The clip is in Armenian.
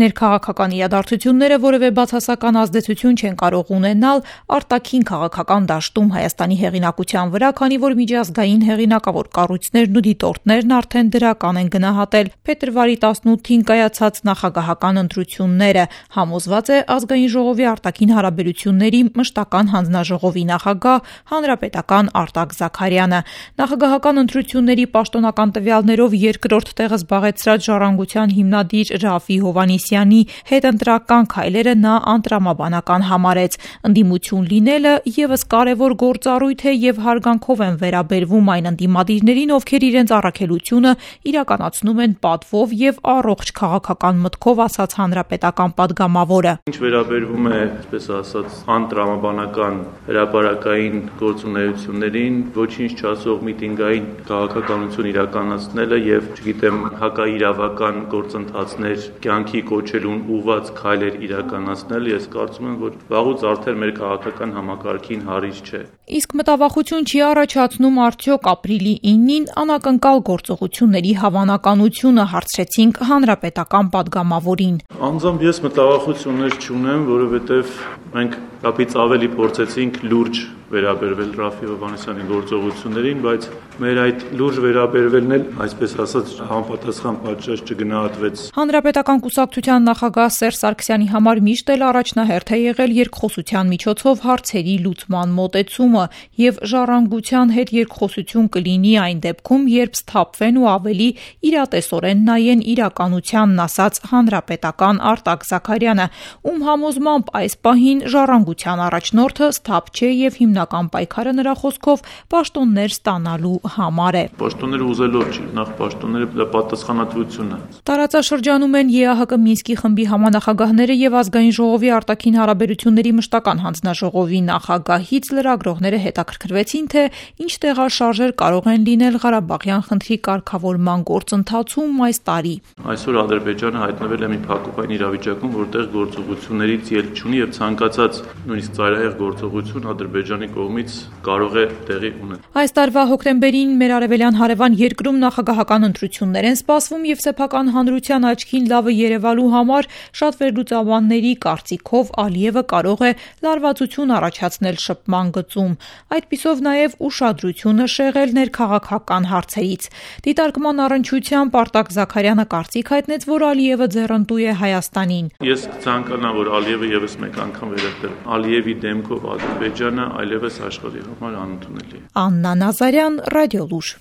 Ներքաղաքական իրադարձությունները որևէ բացասական ազդեցություն չեն կարող ունենալ արտաքին քաղաքական դաշտում Հայաստանի հեղինակության վրա, քանի որ միջազգային հեղինակավոր կառույցներն ու դիտորդներն արդեն դրական են գնահատել փետրվարի 18-ին կայացած նախագահական ընտրությունները, համոզված է Ազգային ժողովի արտաքին հարաբերությունների մշտական հանձնաժողովի նախագահ հանրապետական Արտակ Զաքարյանը։ Նախագահական ընտրությունների պաշտոնական տվյալներով երկրորդ տեղը զբաղեցրած Ժառանգության հիմնադիր Րաֆֆի Հովհաննիսյանի հետընտրական քայլերը նա անտրամաբանական համարեց։ Ընդդիմություն լինելը ևս կարևոր գործառույթ է եւ հարգանքով են վերաբերվում այն ընդդիմադիրներին, ովքեր իրենց առաքելությունը իրականացնում են պատվով եւ առողջ քաղաքական մտքով, ասաց հանրապետական падգամավորը։ Ինչ վերաբերվում է, այսպես ասած, անտրամաբանական հրապարակային գործունեություններին, ոչինչ չասող միտինգային քաղաքականություն իրականացնելը եւ, չգիտեմ, հակաիրավական գործընթացներ կյանքի կոչելուն ուղղված քայլեր իրականացնել, ես կարծում եմ, որ վաղուց արդեն մեր քաղաքական համակարգին հարիճ չէ։ Իսկ մտավախություն չի առաջացնում արդյոք ապրիլի 9-ին անակնկալ գործողությունների հավանականությունը, հարցրեցինք հանրապետական падգամավորին։ Անձամբ ես մտավախություններ չունեմ, որովհետև մենք կապից ավելի փորձեցինք լուրջ վերաբերվել Րաֆֆի Հովհաննիսյանի գործողություններին, բայց մեր այդ լուրջ վերաբերվելն էլ, այսպես ասած, համապատասխան պատշաճ չգնահատվեց։ Հանրապետական կուսակցության նախագահ Սերժ Սարգսյանի համար միշտ էլ առաջնահերթ է եղել երկխոսության միջոցով հարցերի լուծման մոտեցումը եւ ժառանգության հետ երկխոսություն կլինի այն դեպքում, երբ սթափվեն ու ավելի իրատեսորեն նայեն իրականությանն, ասաց հանրապետական Արտակ Զաքարյանը, ում համոզմամբ այս պահին ժառանգության առաջնորդը սթափ չէ եւ հիմնական պայքարը նրա խոսքով պաշտոններ ստանալու համար է։ Պաշտոնները ուզելով չի, նախ պաշտոնները պատասխանատվությունն է։ Տարածաշրջանում են ԵԱՀԿ Մինսկի խմբի համանախագահները եւ Ազգային ժողովի արտաքին հարաբերությունների մշտական հանձնաժողովի նախագահից լրագրողները հետաքրքրվեցին, թե ինչ տեղաշարժեր կարող են լինել Ղարաբաղյան խնդրի կարգավորման գործընթացում այս տարի։ Այսօր Ադրբեջանը հայտնվել է մի փակուղային իրավիճակում, որտեղ գործողություններից ելք չունի եւ ցանկացած նույնիսկ ծայրահեղ գործողություն Ադրբեջանի կողմից կարող է տեղի ունենալ։ Այս տարվա հոկտեմբերին մեր արևելյան հարևան երկրում նախագահական ընտրություններ են սպասվում եւ սեփական հանրության աչքին լավը երևալու համար շատ վերլուծաբանների կարծիքով Ալիևը կարող է լարվածություն առաջացնել շփման գծում, այդպիսով նաեւ ուշադրությունը շեղել ներքաղաքական հարցերից։ Դիտարկման առնչությամբ Արտակ Զաքարյանը կարծիք հայտնեց, որ Ալիևը ձեռնտու է Հայաստանին։ Ես կցանկանամ, որ Ալիևը եւս մեկ անգամ վերադառնա։ Ալիևի դեմքով Ադրբեջանը այլևս աշխարհի համար անընդունելի է։ Աննա Նազարյան, Ռադիոլուր։